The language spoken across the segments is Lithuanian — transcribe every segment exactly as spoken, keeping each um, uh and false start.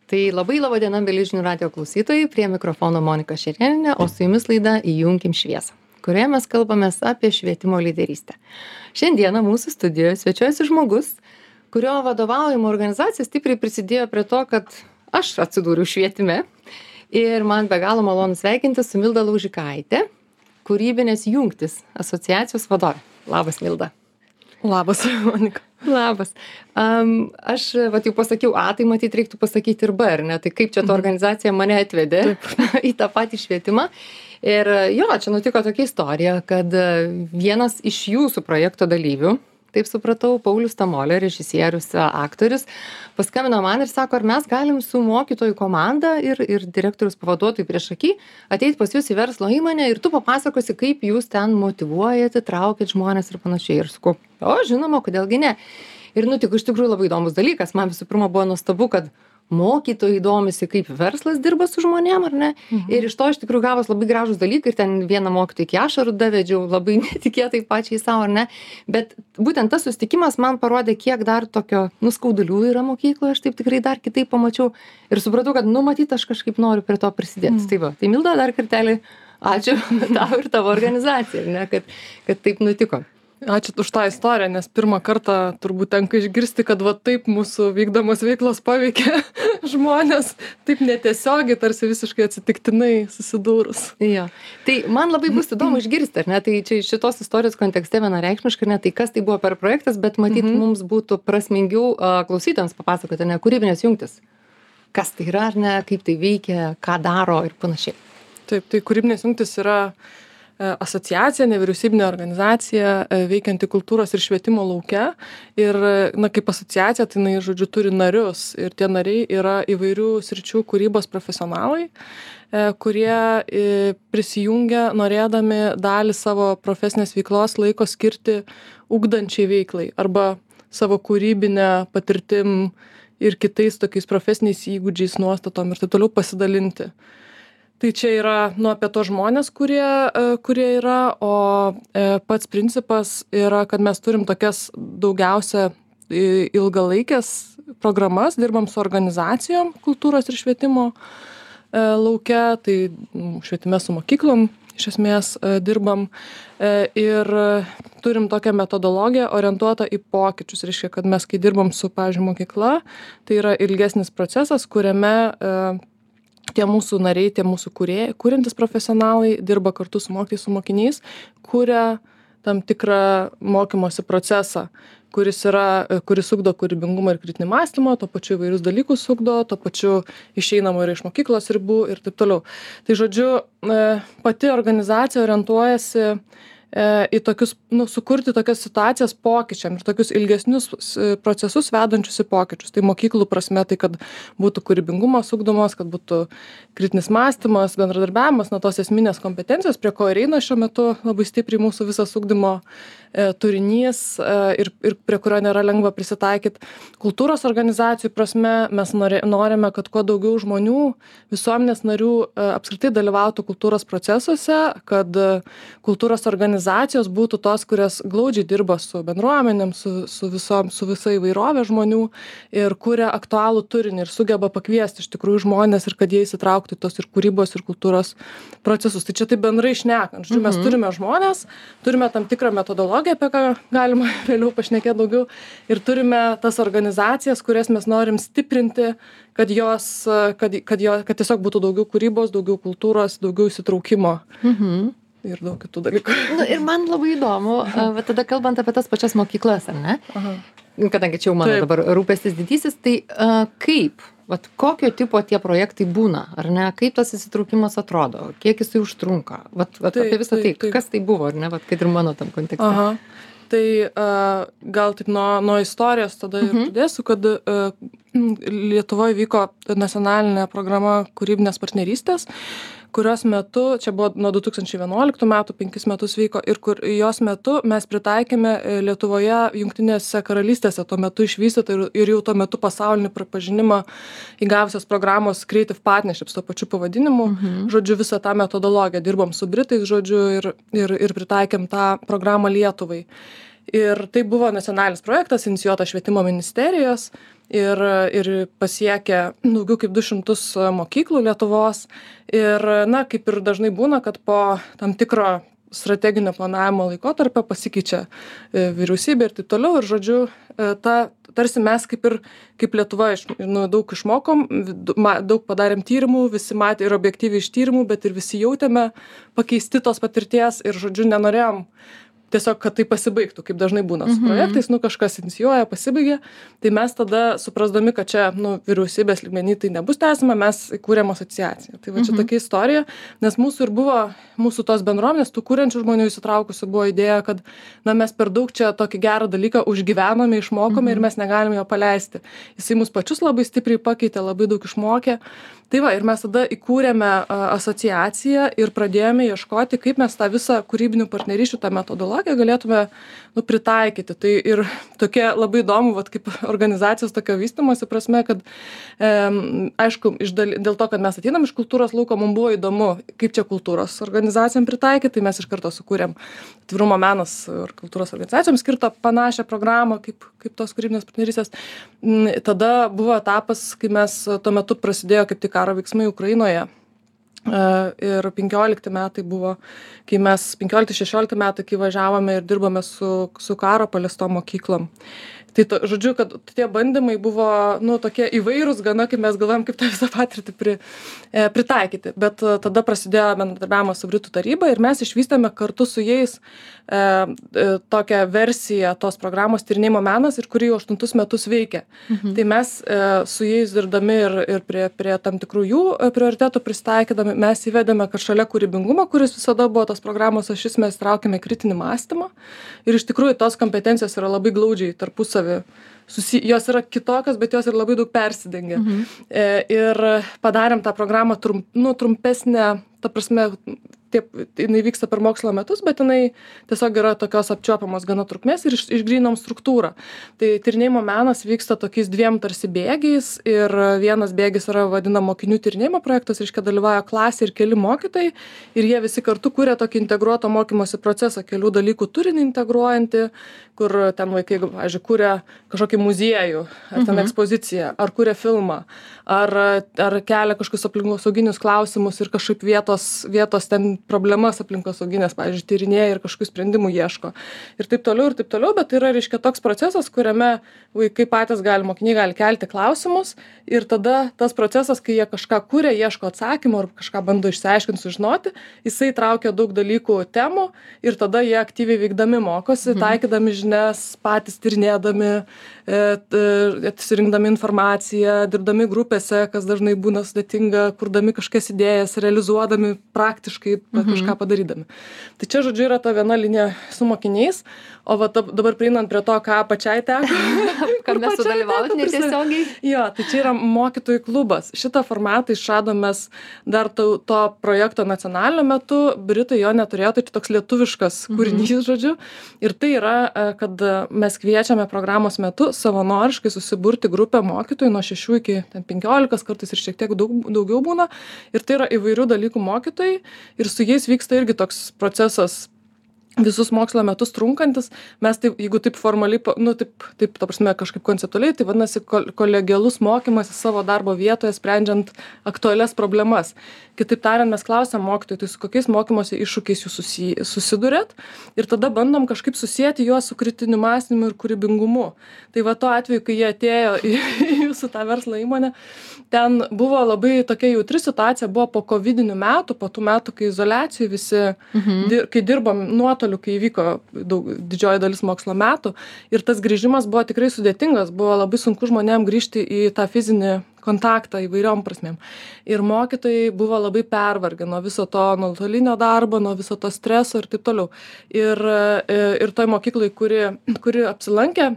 Tai labai laba diena, mėly žinių radijo klausytojai, prie mikrofono Monika Šerėnienė, o su jumis laida Įjunkim šviesą, kurioje mes kalbamės apie švietimo lyderystę. Šiandieną mūsų studijoje svečiuojasi žmogus, kurio vadovaujama organizacija stipriai prisidėjo prie to, kad aš atsidūriau švietime. Ir man be galo malonu sveikinti su Milda Laužikaitė, kūrybinės jungtis asociacijos vadovė. Labas, Milda. Labas, Monika. Labas. Um, aš vat, jau pasakiau A, tai matyt reiktų pasakyti ir B, ar ne? Tai kaip čia ta organizacija mane atvedė į tą patį švietimą. Ir jo, čia nutiko tokia istorija, kad vienas iš jūsų projekto dalyvių, taip supratau, Paulius Tamolė, režisierius, aktorius, paskambino man ir sako, ar mes galim su mokytojų komanda ir, ir direktorius pavaduotojų priešaky ateiti pas jūs į verslo įmonę ir tu papasakosi, kaip jūs ten motyvuojate, traukit žmonės ir panašiai. Ir sakau, o žinoma, kodėlgi ne. Ir nutiko iš tikrųjų labai įdomus dalykas. Man visų pirma buvo nuostabu, kad mokytojai domisi, kaip verslas dirba su žmonėm, ar ne? Mhm. Ir iš to iš tikrųjų gavos labai gražūs dalykai ir ten vieną mokytoją iki ašarų davedžiau, labai netikėtai pačiai savo, ar ne? Bet būtent tas susitikimas man parodė, kiek dar tokio nuskaudulių yra mokykloje, aš taip tikrai dar kitaip pamačiau ir supratau, kad nu matyt, aš kažkaip noriu prie to prisidėti. Mhm. Tai va, tai Milda, dar kartelį ačiū tau ir tavo organizacijai, ar ne, kad, kad taip nutiko. Ačiū už tą istoriją, nes pirmą kartą turbūt tenka išgirsti, kad va taip mūsų vykdomos veiklos paveikia žmonės, taip netiesiogiai, tarsi visiškai atsitiktinai susidūrus. Jo. Tai man labai bus įdomu išgirsti, ar ne, tai čia šitos istorijos kontekste vienareikšmiškai, ne tai kas tai buvo per projektas, bet matyt mm-hmm. mums būtų prasmingiau uh, klausytojams papasakoti, ne, kūrybinės jungtis. Kas tai yra, ar ne, kaip tai veikia, ką daro ir panašiai. Taip, tai kūrybinės jungtis yra asociacija, nevyriausybinė organizacija veikianti kultūros ir švietimo lauke. Ir, na, kaip asociacija, tai, na, žodžiu, turi narius. Ir tie nariai yra įvairių sričių kūrybos profesionalai, kurie prisijungia norėdami dalį savo profesinės veiklos laiko skirti ugdančiai veiklai arba savo kūrybinę patirtim ir kitais tokiais profesiniais įgūdžiais, nuostatom ir taip toliau pasidalinti. Tai čia yra, nu, apie to žmonės, kurie, kurie yra, o pats principas yra, kad mes turim tokias daugiausia ilgalaikės programas, dirbam su organizacijom kultūros ir švietimo lauke, tai švietime su mokyklom iš esmės dirbam ir turim tokią metodologiją orientuotą į pokyčius. Reiškia, kad mes, kai dirbam su, pavyzdžiui, mokykla, tai yra ilgesnis procesas, kuriame tie mūsų nariai, tie mūsų kūrėjai, kuriantys profesionalai dirba kartu su mokytojais, su mokiniais, kuria tam tikrą mokymosi procesą, kuris yra, kuris ugdo kūrybingumą ir kritinį mąstymą, tuo pačiu įvairius dalykus ugdo, tuo pačiu išeinama ir iš mokyklos ribų ir taip toliau. Tai žodžiu, pati organizacija orientuojasi į tokius, nu, sukurti tokias situacijas pokyčiam ir tokius ilgesnius procesus vedančius į pokyčius. Tai mokyklų prasme, tai kad būtų kūrybingumas ugdomas, kad būtų kritinis mąstymas, bendradarbiavimas, na, tos esminės kompetencijos, prie ko ir eina šiuo metu labai stipriai mūsų visas ugdymo e, turinys e, ir, ir prie kurio nėra lengva prisitaikyti. Kultūros organizacijų prasme mes norė, norime, kad kuo daugiau žmonių, visuomenės narių e, apskritai dalyvautų kultūros procesuose, kad e, kultūros organizacijos organizacijos būtų tos, kurias glaudžiai dirba su bendruomenėm, su, su, visom, su visa įvairovė žmonių ir kuria aktualų turinį ir sugeba pakviesti iš tikrųjų žmonės ir kad jie įsitrauktų į tos ir kūrybos ir kultūros procesus. Tai čia taip bendrai šnekant. Žodžiu, mes turime žmonės, turime tam tikrą metodologiją, apie ką galima vėliau pašnekėti daugiau ir turime tas organizacijas, kurias mes norim stiprinti, kad jos, kad, kad, jo, kad tiesiog būtų daugiau kūrybos, daugiau kultūros, daugiau įsitraukimo. Mhm. Ir daug kitų dalykų. Nu, ir man labai įdomu, va tada kalbant apie tas pačias mokyklas, ar ne? Aha. Kadangi čia jau mano Taip. Dabar rūpestis didysis, tai uh, kaip, vat, kokio tipo tie projektai būna, ar ne? Kaip tas įsitraukimas atrodo, kiek jisai užtrunka? Vat, vat taip, apie visą tai, taip. Kas tai buvo, ar ne? Vat, kad ir mano tam kontekste. Aha. Tai uh, gal taip nuo, nuo istorijos tada ir uh-huh. pradėsiu, kad uh, Lietuvoje vyko nacionalinė programa kūrybinės partnerystės, kurios metu, čia buvo nuo du tūkstančiai vienuoliktų metų, penkis metus vyko, ir kur jos metu mes pritaikėme Lietuvoje Jungtinėse karalystėse tuo metu išvystytą ir, ir jau tuo metu pasaulinį pripažinimą įgavusios programos Creative Partnerships tuo pačiu pavadinimu. Mhm. Žodžiu, visą tą metodologiją dirbom su Britais, žodžiu, ir, ir, ir pritaikėm tą programą Lietuvai. Ir tai buvo nacionalinis projektas, inicijuotas švietimo ministerijos. ir, ir pasiekė daugiau kaip du šimtus mokyklų Lietuvos. Ir, na, kaip ir dažnai būna, kad po tam tikro strateginio planavimo laikotarpio pasikeičia vyriausybė ir taip toliau. Ir, žodžiu, ta, tarsi mes kaip ir kaip Lietuva iš, nu, daug išmokom, daug padarėm tyrimų, visi matė ir objektyviai iš tyrimų, bet ir visi jautėme pakeisti tos patirties ir, žodžiu, nenorėjom tiesiog, kad tai pasibaigtų, kaip dažnai būna su projektais, nu kažkas inicijuoja, pasibaigia, tai mes tada suprasdami, kad čia, nu, vyriausybės lygmenį tai nebus tęsima, mes įkūrėm asociaciją. Tai va čia tokia istorija, nes mūsų ir buvo, mūsų tos bendruomenės, tų kūrenčių žmonių įsitraukusių buvo idėja, kad, na, mes per daug čia tokį gerą dalyką užgyvenome, išmokome mhm. ir mes negalime jo paleisti. Jisai mus pačius labai stipriai pakeitė, labai daug išmokė. Tai va, ir mes tada įkūrėme asociaciją ir pradėjome ieškoti, kaip mes tą visą kūrybinių partnerysčių, tą metodologiją galėtume, nu, pritaikyti. Tai ir tokia labai įdomu, vat, kaip organizacijos tokio vystymosi prasme, kad, e, aišku, iš dal, dėl to, kad mes ateinam iš kultūros lauko, mums buvo įdomu, kaip čia kultūros organizacijom pritaikyti, tai mes iš karto sukūrėm Atvirumo menas ir kultūros organizacijom skirtą panašią programą, kaip, kaip tos kūrybinės partnerystės. Tada buvo etapas, kai mes tuo metu prasidėjo kaip tik karo veiksmai Ukrainoje. Ir penkiolikti metai buvo, kai mes, penkiolikti šešiolikti metai, kai važiavome ir dirbame su, su karo paliestom mokyklom. Tai, to, žodžiu, kad tie bandymai buvo, nu, tokie įvairūs gana, kaip mes galvojam, kaip tą visą patirtį pri, e, pritaikyti. Bet e, tada prasidėjo bendradarbiavimas su Britų taryba ir mes išvystėme kartu su jais e, e, tokią versiją tos programos Tyrinėjimo menas, ir kuri jau aštuntus metus veikia. Mhm. Tai mes e, su jais dirbdami ir, ir prie, prie tam tikrų jų prioritetų pristaikydami, mes įvedėme, kad šalia kūrybingumo, kuris visada buvo tos programos ašis, mes traukėme kritinį mąstymą. Ir iš tikrųjų tos kompetencijos yra labai glaudžiai tarpusavy. Susi, jos yra kitokios, bet jos ir labai daug persidengia. Mhm. E, ir padarėm tą programą trum, nu, trumpesnę, ta prasme, taip, jinai vyksta per mokslo metus, bet jinai tiesiog yra tokios apčiuopiamos gana trukmės ir iš, išgrynom struktūrą. Tai tyrinėjimo menas vyksta tokiais dviem tarsi bėgiais ir vienas bėgis yra vadinama mokinių tyrinėjimo projektas, reiškia dalyvauja klasė ir keli mokytojai ir jie visi kartu kuria tokį integruotą mokymosi procesą, kelių dalykų turinį integruojantį, kur ten vaikai, pavyzdžiui, kuria kažkokį muziejų, ar ten mhm. ekspoziciją, ar kuria filmą, ar, ar kelia kažkokius aplinkosauginius klausimus ir kažkaip vietos, vietos ten problemas aplinkosauginės, pavyzdžiui, tyrinėja ir kažkokių sprendimų ieško. Ir taip toliau, ir taip toliau, bet tai yra, reiškia, toks procesas, kuriame vaikai patys gali, mokiniai gali kelti klausimus ir tada tas procesas, kai jie kažką kuria, ieško atsakymų ar kažką bando išsiaiškinti, sužinoti, jisai traukia daug dalykų temų ir tada jie aktyviai veikdami mokosi, mhm. taikydami žinias, patys tyrinėdami, atsirinkdami informaciją, dirbdami grupėse, kas dažnai būna sudėtinga, kurdami kažkokias idėjas, realizuodami praktiškai mhm. kažką padarydami. Tai čia, žodžiu, yra ta viena linija su mokiniais, o va dabar prieinant prie to, ką pačiai teko. Kad mes sudalyvauti netiesiogiai. Jo, tai čia yra mokytojų klubas. Šitą formatą išradom mes dar to, to projekto nacionalinio metu, Britai jo neturėjo, tai toks lietuviškas kūrinys, mhm. žodžiu. Ir tai yra, kad mes kviečiame programos metu savanoriškai susiburti grupę mokytojų nuo šešių iki penkiolikos, kartais ir šiek tiek daug, daugiau būna. Ir tai yra įvairių dalykų mokytojai ir su jais vyksta irgi toks procesas visus mokslo metus trunkantis. Mes taip, jeigu taip formaliai, nu taip, taip, ta prasme, kažkaip konceptualiai, tai vadinasi kolegialus mokymas savo darbo vietoje, sprendžiant aktualias problemas. Kitaip tariant, mes klausiam mokytojų, tai su kokiais mokymosi iššūkiais jūs susi, susidurėt ir tada bandom kažkaip susijęti juos su kritiniu mąstymu ir kūrybingumu. Tai va tuo atveju, kai jie atėjo į, į jūsų tą verslo įmonę, ten buvo labai tokia jautri situacija, buvo po kovidinių metų, po tų metų, kai izoliacijų visi, mhm. dir, kai dirbom nuotoliu, kai įvyko daug, didžioji dalis mokslo metų ir tas grįžimas buvo tikrai sudėtingas, buvo labai sunku žmonėm grįžti į tą fizinį kontaktą įvairiom prasmėm. Ir mokytojai buvo labai pervargę nuo viso to nuotolinio darbo, nuo viso to streso ir taip toliau. Ir, ir toj mokyklai, kuri, kuri apsilankė,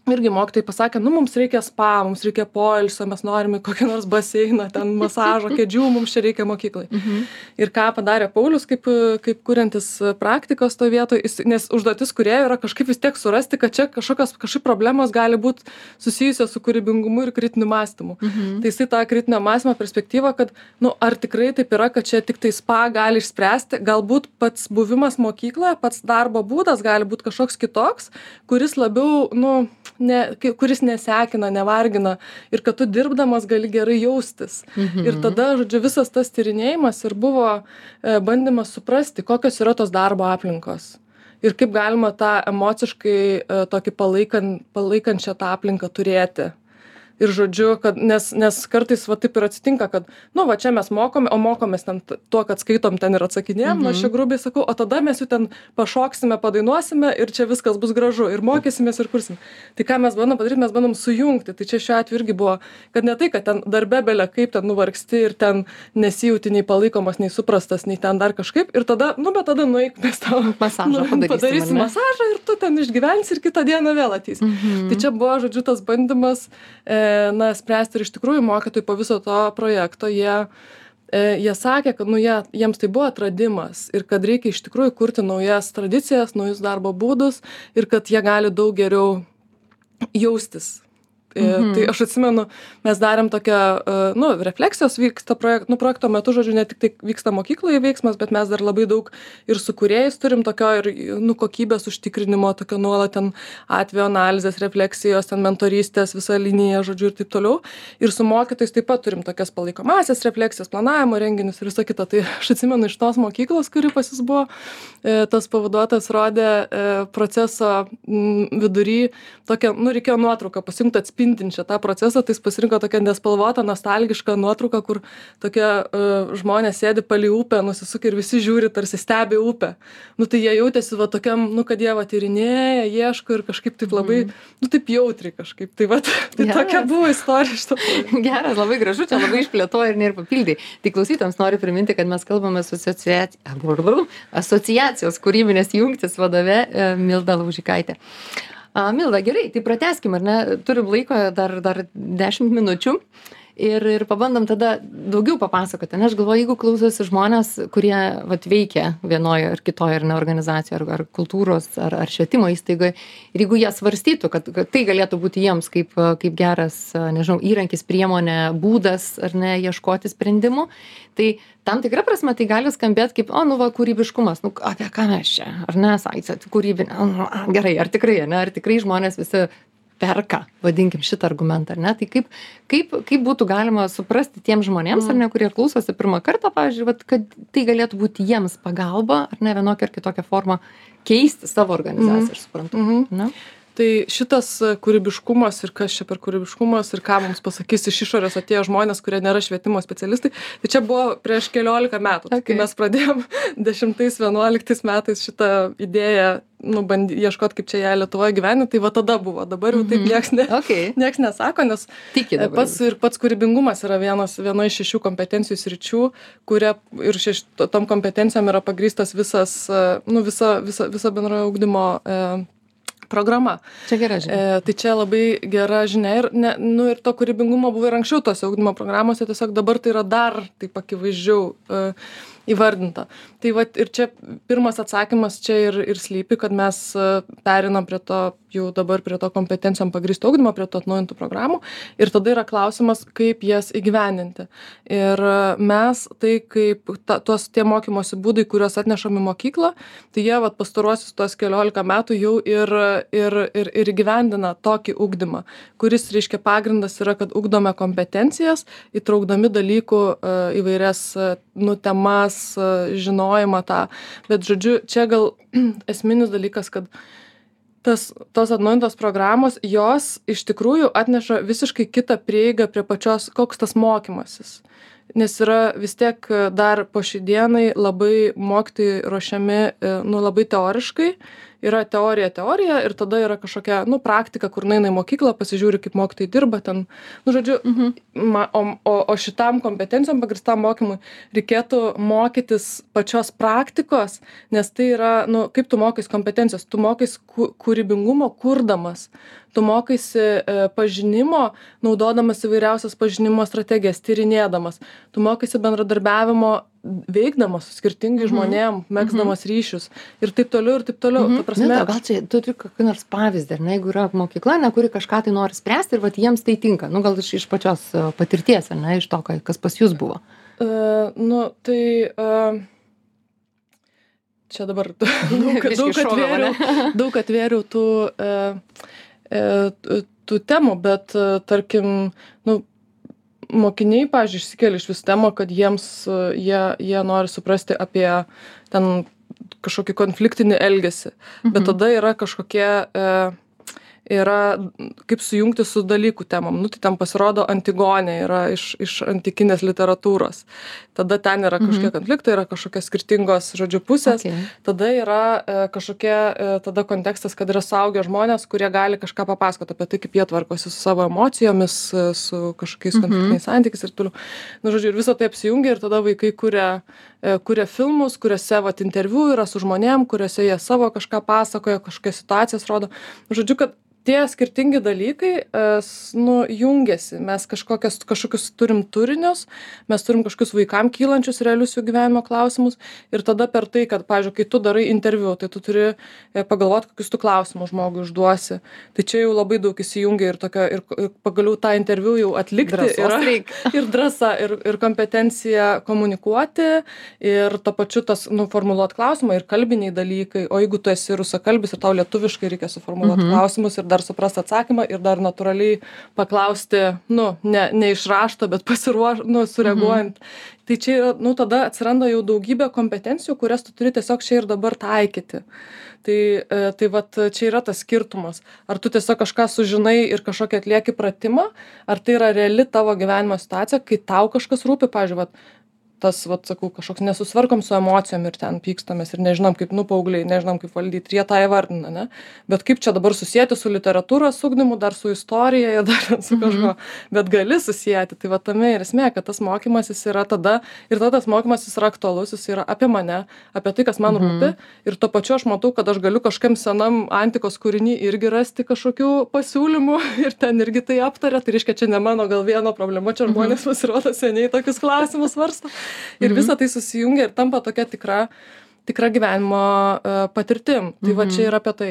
irgi mokytojai pasakė, nu mums reikia spa, mums reikia poilsio, mes norime kokį nors baseiną, ten masažo, kėdžių, mums čia reikia mokyklai. Mhm. Ir ką padarė Paulius, kaip, kaip kuriantis praktikos to vietoj, nes užduotis kūrėjų yra kažkaip vis tiek surasti, kad čia kažkokios kažkaip problemos gali būti susijusios su kūrybingumu ir kritiniu mąstymu. Mhm. Tai jisai tą kritinio mąstymo perspektyvą, kad, nu, ar tikrai taip yra, kad čia tik tai spa gali išspręsti, galbūt pats buvimas mokykloje, pats darbo būdas gali būti kažkoks kitoks, kuris labiau, nu, ne, kuris nesekina, nevargina ir kad tu dirbdamas gali gerai jaustis. Mhm. Ir tada, žodžiu, visas tas tyrinėjimas ir buvo e, bandymas suprasti, kokios yra tos darbo aplinkos. Ir kaip galima tą emociškai e, tokį palaikan, palaikančią tą aplinką turėti. Ir žodžiu, kad, nes, nes kartais va taip ir atsitinka, kad, nu, va čia mes mokome, o mokomės ten tuo, kad skaitom ten ir atsakinėjom, mhm. nu, aš čia grubiai sakau, o tada mes jau ten pašoksime, padainuosime ir čia viskas bus gražu ir mokysimės ir kursim. Tai ką mes bandom padaryti, mes bandom sujungti. Tai čia šiuo atveju irgi buvo, kad ne tai, kad ten darbe belia kaip ten nuvargsti ir ten nesijauti nei palaikomas, nei suprastas, nei ten dar kažkaip. Ir tada, nu, bet tada nueik, mes tau masažą nu, padarysim masažą ir tu ten išgyvensi ir kitą dieną vėl ateisi. Mhm. Tai čia buvo, žodžiu, tas bandymas e, na, spręsti ir iš tikrųjų mokytojai po viso to projekto, jie, e, jie sakė, kad nu, jie, jiems tai buvo atradimas ir kad reikia iš tikrųjų kurti naujas tradicijas, naujus darbo būdus ir kad jie gali daug geriau jaustis. Mhm. Tai aš atsimenu, mes darėm tokią, nu, refleksijos vyksta projekt, nu, projekto metu, žodžiu, ne tik tai vyksta mokykloje veiksmas, bet mes dar labai daug ir su kūrėjais turim tokio ir, nu, kokybės užtikrinimo, tokio nuolat ten atvejo analizės, refleksijos, ten mentorystės, visa linija, žodžiu, ir taip toliau. Ir su mokytojais taip pat turim tokias palaikomasias refleksijas, planavimo renginius ir visą kitą. Tai aš atsimenu iš tos mokyklos, kuri pas jis buvo, tas pavaduotojas rodė proceso vidury tokią, nu, reikėjo nuotrauką pasijungti atspėti spindinčią tą procesą, tai jis pasirinko tokią nespalvotą, nostalgišką nuotrauką, kur tokie uh, žmonės sėdi palei upę, nusisukę ir visi žiūri, tarsi stebi upę. Nu tai jie jautėsi va tokiam, nu kad jie va tyrinėja, ieško ir kažkaip taip labai, mm. nu taip jautriai kažkaip. Tai va, tai Geras. Tokia buvo istorija šito. Geras, labai gražu, čia labai išplėtoja ir nėra papildai. Tai klausytams noriu priminti, kad mes kalbame su asociaci... asociacijos kūrybinės jungtis vadove Milda Laužikaitė. A, Milda, gerai, tai pratęskim, ar ne? Turim laiko dar, dar dešimt minučių ir, ir pabandom tada daugiau papasakoti. Ne, aš galvoju, jeigu klausosi žmonės, kurie vat, veikia vienoje ar kitoje ar ne organizacijoje, ar, ar kultūros, ar, ar švietimo įstaigoje, ir jeigu jie svarstytų, kad, kad tai galėtų būti jiems kaip, kaip geras, nežinau, įrankis, priemonė, būdas, ar ne, ieškoti sprendimų, tai tam tikra prasme tai gali skambėti kaip, o, nu va, kūrybiškumas, nu, apie ką mes čia, ar ne, sakysat, kūrybinė, nu, gerai, ar tikrai, ne, ar tikrai žmonės visi perka, vadinkim šitą argumentą, ar ne, tai kaip, kaip, kaip būtų galima suprasti tiems žmonėms, mm. ar ne, kurie klausosi pirmą kartą, pavyzdžiui, vat, kad tai galėtų būti jiems pagalba, ar ne, vienokia ar kitokia forma keisti savo organizaciją, mm. aš suprantu, mm-hmm. ne? Tai šitas kūrybiškumas ir kas čia per kūrybiškumas ir ką mums pasakys iš išorės atėjo žmonės, kurie nėra švietimo specialistai, tai čia buvo prieš keliolika metų, okay. kai mes pradėjom dešimtais, vienuoliktais metais šitą idėją, nu, bandy, ieškot, kaip čia ją Lietuvoje gyveni, tai va tada buvo, dabar jau taip nieks, ne, okay. nieks nesako, nes pats, ir pats kūrybingumas yra vienas, viena iš šešių kompetencijų sričių, kuria ir šeš, tom kompetencijom yra pagrįstas visas, nu, visa, visa, visa bendrojo ugdymo e, programa. Čia gera žinia. E, tai čia labai gera žinia ir, ne, nu, ir to kūrybingumo buvo ir anksčiau tose ugdymo programose, tiesiog dabar tai yra dar taip akivaizdžiau e, įvardinta. Tai va ir čia pirmas atsakymas čia ir, ir slypi, kad mes perinam prie to, jau dabar prie to kompetencijom pagrįsto ugdymo, prie to atnaujintų programų ir tada yra klausimas, kaip jas įgyvendinti. Ir mes tai kaip ta, tos tie mokymosi būdai, kuriuos atnešam į mokyklą, tai jie vat pastaruosius tos keliolika metų jau ir, ir, ir, ir įgyvendina tokį ugdymą, kuris reiškia pagrindas yra, kad ugdome kompetencijas, įtraukdami dalykų įvairias nu, temas, žinojimą tą. Bet žodžiu, čia gal esminis dalykas, kad tas, tos atnaujintos programos, jos iš tikrųjų atneša visiškai kitą prieigą prie pačios, koks tas mokymasis. Nes yra vis tiek dar po šiai dienai labai mokytojai ruošiami, nu, labai teoriškai. Yra teorija, teorija ir tada yra kažkokia, nu, praktika, kur nueina į mokyklą, pasižiūri, kaip mokytojai dirba ten. Nu, žodžiu, mhm. ma, o, o, o šitam kompetencijom pagristam mokymui reikėtų mokytis pačios praktikos, nes tai yra, nu, kaip tu mokais kompetencijos, tu mokais kūrybingumo kurdamas. Tu mokaisi e, pažinimo, naudodamas įvairiausias pažinimo strategijas, tyrinėdamas. Tu mokaisi bendradarbiavimo, veikdamas su skirtingai žmonėm, mm-hmm. megzdamas ryšius ir taip toliau, ir taip toliau. Mm-hmm. Ta prasme... Ne, gal čia tu turi kokį nors pavyzdį, ar ne, jeigu yra mokykla, ne, kuri kažką tai nori spręsti ir vat, jiems tai tinka. Nu, gal iš, iš pačios patirties, ar ne, iš to, kas pas jūs buvo. Uh, nu, tai... Uh... Čia dabar daug, daug, atvėriau, daug atvėriau tų, e, tų temų, bet tarkim, nu, mokiniai, pavyzdžiui, išsikelia iš vis temą, kad jiems, jie, jie nori suprasti apie ten kažkokį konfliktinį elgesį, mhm. bet tada yra kažkokie, e, yra kaip sujungti su dalykų temom. Nu, tai ten pasirodo Antigonė yra iš, iš antikinės literatūros. Tada ten yra kažkokie mhm. konfliktai, yra kažkokios skirtingos, žodžiu, pusės. Okay. Tada yra e, kažkokie, e, tada kontekstas, kad yra suaugę žmonės, kurie gali kažką papasakoti apie tai, kaip jie tvarkosi su savo emocijomis, su kažkokiais mhm. konfliktiniais santykiais ir toliau. Nu, žodžiu, ir visą tai apsijungia ir tada vaikai kuria, e, kuria filmus, kuriuose vat, interviu yra su žmonėm, kuriuose jie savo kažką pasakoja, kažkokias situacijas rodo. Žodžiu, kad tie skirtingi dalykai, nu, jungiasi. Mes kažkokias, kažkokius turim turinius, mes turim kažkokius vaikam kylančius realius jų gyvenimo klausimus ir tada per tai, kad, pavyzdžiui, kai tu darai interviu, tai tu turi pagalvoti, kokius tu klausimus žmogui užduosi. Tai čia jau labai daug įsijungia ir, tokio, ir, ir pagaliau tą interviu jau atlikti yra, ir drąsa, ir, ir kompetencija komunikuoti, ir to pačiu tas, nu, formuluoti klausimą, ir kalbiniai dalykai. O jeigu tu esi rusakalbis ir tau lietuviškai reikia suformuluoti mhm. klausimus ir dar suprasti atsakymą ir dar natūraliai paklausti, nu, ne, ne iš rašto, bet pasiruoš, nu, sureaguojant. Mhm. Tai čia yra, nu, tada atsiranda jau daugybė kompetencijų, kurias tu turi tiesiog čia ir dabar taikyti. Tai, tai vat čia yra tas skirtumas. Ar tu tiesiog kažką sužinai ir kažkokį atlieki pratimą, ar tai yra reali tavo gyvenimo situacija, kai tau kažkas rūpi, pavyzdžiui, vat, tas, vat, sakau, kažkoks nesusvarkom su emocijom ir ten pykstamės ir nežinom, kaip, nu, paaugliai, nežinom, kaip valdyti, ir jie tą įvardina, ne? Bet kaip čia dabar susijęti su literatūros ugdymu, dar su istorija, ir dar su kažko, mm-hmm. bet gali susijęti. Tai va tame ir esmė, kad tas mokymasis yra tada, ir tada tas mokymasis yra aktualus, jis yra apie mane, apie tai, kas man mm-hmm. rūpi, ir tuo pačiu aš matau, kad aš galiu kažkam senam antikos kūrinį irgi rasti kažkokių pasiūlymų ir ten irgi tai aptarė, tai reiškia, čia ne mano gal vieno problema, čia žmonės mm-hmm. pasirodo seniai tokius klausimus svarsto. Ir visa tai susijungia ir tampa tokia tikra, tikra gyvenimo uh, patirtim. Tai mm-hmm. va čia yra apie tai.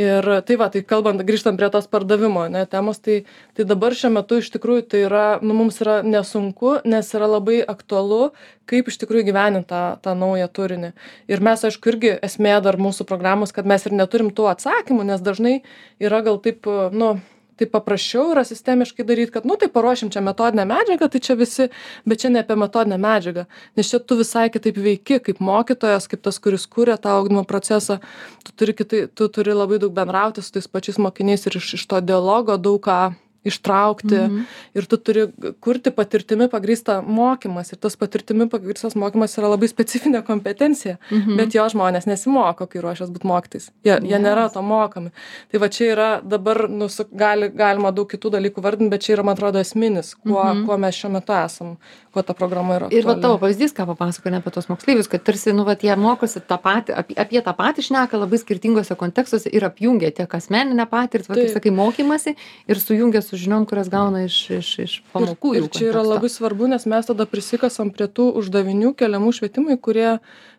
Ir tai va, tai kalbant, grįžtant prie tos pardavimo, ne, temos, tai, tai dabar šiuo metu iš tikrųjų tai yra, nu, mums yra nesunku, nes yra labai aktualu, kaip iš tikrųjų gyveninti tą, tą naują turinį. Ir mes, aišku, irgi esmė dar mūsų programos, kad mes ir neturim tų atsakymų, nes dažnai yra gal taip, nu, tai paprasčiau yra sistemiškai daryti, kad, nu, tai paruošim čia metodinę medžiagą, tai čia visi, bet čia ne apie metodinę medžiagą, nes čia tu visai kitaip veiki, kaip mokytojas, kaip tas, kuris kūrė tą ugdymo procesą, tu turi, kitai, tu turi labai daug bendrauti su tais pačiais mokiniais ir iš, iš to dialogo daug ką ištraukti mhm. ir tu turi kurti patirtimi pagrįstą mokymas ir tas patirtimi pagrįstas mokymas yra labai specifinė kompetencija, mhm. bet jo žmonės nesimoko, kai ruošias būti mokytais. Jie, yes. jie nėra to mokami. Tai va čia yra dabar, nu, gali, galima daug kitų dalykų vardinti, bet čia yra, man atrodo, esminis, kuo, mhm. kuo mes šiuo metu esam, kuo ta programa yra. Ir va tavo pavyzdys, ką papasakoja apie tos moksleivius, kad tarsi, nu, va, jie mokosi tą patį, apie, apie tą patį šneka labai skirtingose kontekstuose ir apjungia tiek asmeninę patirtį, va, kaip sakai, mokymasi ir sujungia su žiniom, kurias gauna iš, iš, iš pamokų. Ir, ir čia yra labai svarbu, nes mes tada prisikasam prie tų uždavinių keliamų švietimui, kurie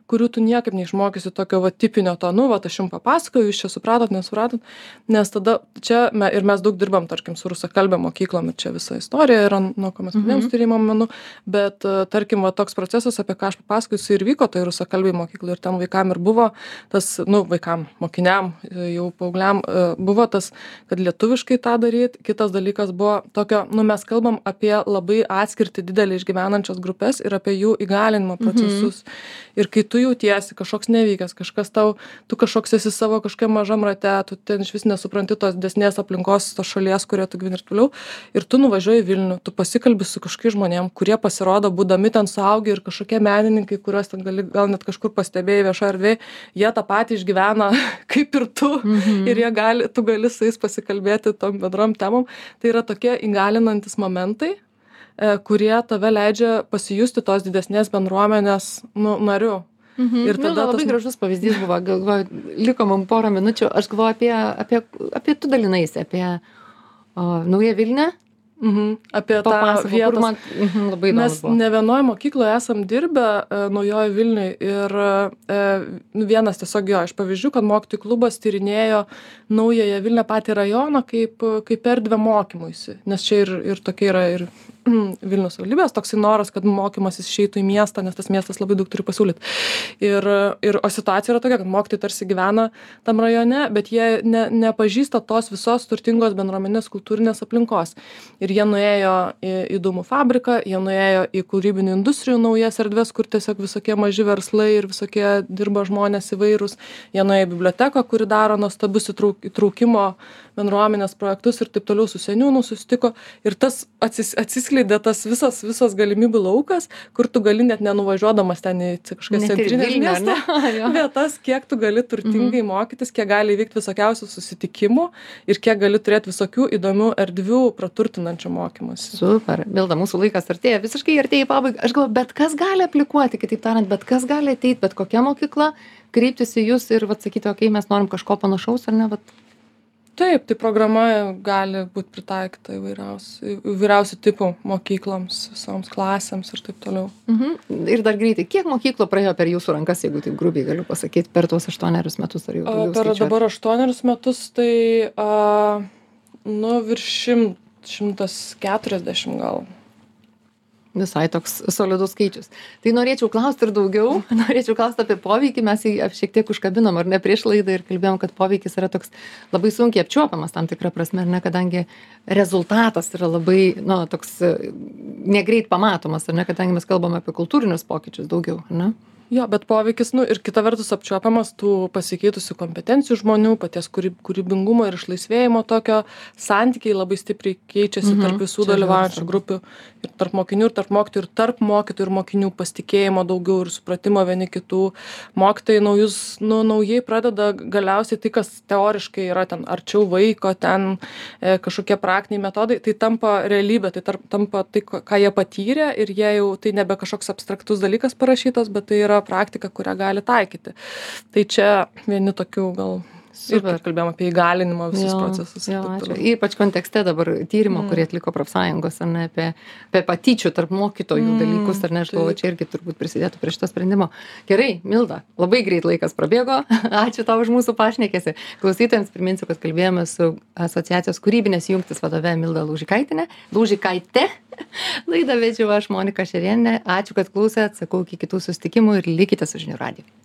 kurių tu niekaip neišmokysi tokio va tipinio to, nu, va, aš jums papasakoju, jūs čia supratot, nesupratot, nes tada čia, me, ir mes daug dirbam, tarkim, su rusakalbė mokyklom, ir čia visa istorija yra, nuo ko mes pradėjom mm-hmm. tyrimo menu, bet, tarkim, va, toks procesas, apie ką aš papasakoju, jis ir vyko, tai rusakalbė mokykla, ir ten vaikam ir buvo tas, nu, vaikam, mokiniam, jau paaugliam, buvo tas, kad lietuviškai tą daryti, kitas dalykas buvo tokio, nu, mes kalbam apie labai atskirti didelį išgyvenančias grupės ir apie jų įgalinimo procesus. Mm-hmm. Ir kai tu jautiesi kažkoks nevykęs, kažkas tau, tu kažkoks esi savo kažkokiam mažam rate, tu ten iš vis nesupranti tos desnės aplinkos, tos šalies, kurie tu gyveni ir toliau, ir tu nuvažiuoji į Vilnių, tu pasikalbi su kažkokiais žmonėm, kurie pasirodo, būdami ten suaugę ir kažkokie menininkai, kuriuos ten gali gal net kažkur pastebėjai viešoje erdvėje, jie tą patį išgyvena kaip ir tu, mhm. ir jie gali, tu gali su jais pasikalbėti tom bendrom temom. Tai yra tokie įgalinantis momentai, kurie tave leidžia pasijusti tos didesnės bendruomenės, nu, nariu. Mhm. Ir tada Milda, labai tas... gražus pavyzdys buvo, galvoju, liko man porą minučių, aš galvoju apie, apie, apie tu dalinaisi, apie o, Naują Vilnią. Mhm. Apie tą vietą. Man mhm, labai įdomu Mes buvo. Ne vienoje mokykloje esam dirbę e, Naujoje Vilniuje ir e, vienas tiesiog jo iš pavyzdžių, kad mokytojų klubas tyrinėjo Naująją Vilnią patį rajoną kaip, kaip erdvę mokymuisi, nes čia ir, ir tokia yra ir Vilniaus savivaldybės toksai noras, kad mokymasis išeitų į miestą, nes tas miestas labai daug turi pasiūlyti. Ir, ir o situacija yra tokia, kad mokytojai tarsi gyvena tam rajone, bet jie ne, nepažįsta tos visos turtingos bendruomenės kultūrinės aplinkos. Ir jie nuėjo į, į dūmų fabriką, jie nuėjo į kūrybinių industrijų naujas erdves, kur tiesiog visokie maži verslai ir visokie dirba žmonės įvairūs. Jie nuėjo į biblioteką, kuri daro nuostabius įtrauk, įtraukimo bendruomenės projektus ir taip toliau su seniūnu susitiko. Ir tas atsis, atsiskleidė tas visas, visas galimybių laukas, kur tu gali net nenuvažiuodamas ten į kažkokias centrinės miesto vietas, kiek tu gali turtingai mhm. mokytis, kiek gali įvykti visokiausių susitikimų ir kiek gali turėti visokių įdomių erdvių praturtinančių mokymusi. Super. Milda, mūsų laikas artėja, visiškai artėja į pabaigą. Aš galvoju, bet kas gali aplikuoti, kitaip tariant, bet kas gali ateiti, bet kokia mokykla, kreiptis į jūs ir vat, sakyti, okei, okay, mes norim kažko panašaus ar ne, vat. Taip, tai programa gali būti pritaikyta įvairiausių, įvairiausių tipų mokykloms, visoms klasėms ir taip toliau. Mhm. Ir dar greitai, kiek mokyklų praėjo per jūsų rankas, jeigu taip grubiai galiu pasakyti, per tuos aštuonerius metus ar jau daugiau Per skaičiuoti? dabar aštuonerius metus, tai a, nu, virš šimt, šimtas keturiasdešimt gal. Visai toks solidus skaičius. Tai norėčiau klausti ir daugiau, norėčiau klausti apie poveikį, mes jį šiek tiek užkabinom, ar ne, prieš laidą ir kalbėjom, kad poveikis yra toks labai sunkiai apčiuopiamas tam tikrą prasme, ar ne, kadangi rezultatas yra labai, nu, toks negreit pamatomas, ar ne, kadangi mes kalbame apie kultūrinius pokyčius daugiau, ar ne? Jo, bet poveikis, nu, ir kita vertus apčiuopiamas tų pasikeitusių kompetencijų žmonių, paties kūrybingumo ir išlaisvėjimo tokio santykiai labai stipriai keičiasi mhm, tarp visų dalyvaujančių grupių ir tarp mokinių ir tarp mokytojų ir tarp mokytojų ir mokinių pasitikėjimo daugiau ir supratimo vieni kitų. Mokytojai naujus, nu, naujai pradeda galiausiai tai, kas teoriškai yra ten arčiau vaiko, ten e, kažkokie praktiniai metodai, tai tampa realybė, tai tarp, tampa tai, ką jie patyrė ir jie jau, tai nebe kažkoks abstraktus dalykas parašytas, bet tai yra praktika, kurią gali taikyti. Tai čia vieni tokių gal ir kalbėjom apie įgalinimo visus jo, procesus. Jo, ypač kontekste dabar tyrimo, mm. kurį atliko profsąjungos, ar ne, apie, apie patyčių tarp mokytojų mm, dalykus, ar ne, aš galvoju, čia irgi turbūt prisidėtų prie šito sprendimo. Gerai, Milda, labai greit laikas prabėgo. Ačiū tau už mūsų pašnekėsi. Klausytojams priminsiu, kad kalbėjome su asociacijos kūrybinės jungtis vadove Milda Laužikaitė. Laužikaitė. Laidą vedžiau aš, Monika Šerienė. Ačiū, kad klausėt. Sakau, iki kitų susitikimų ir likite su Žinių radiju.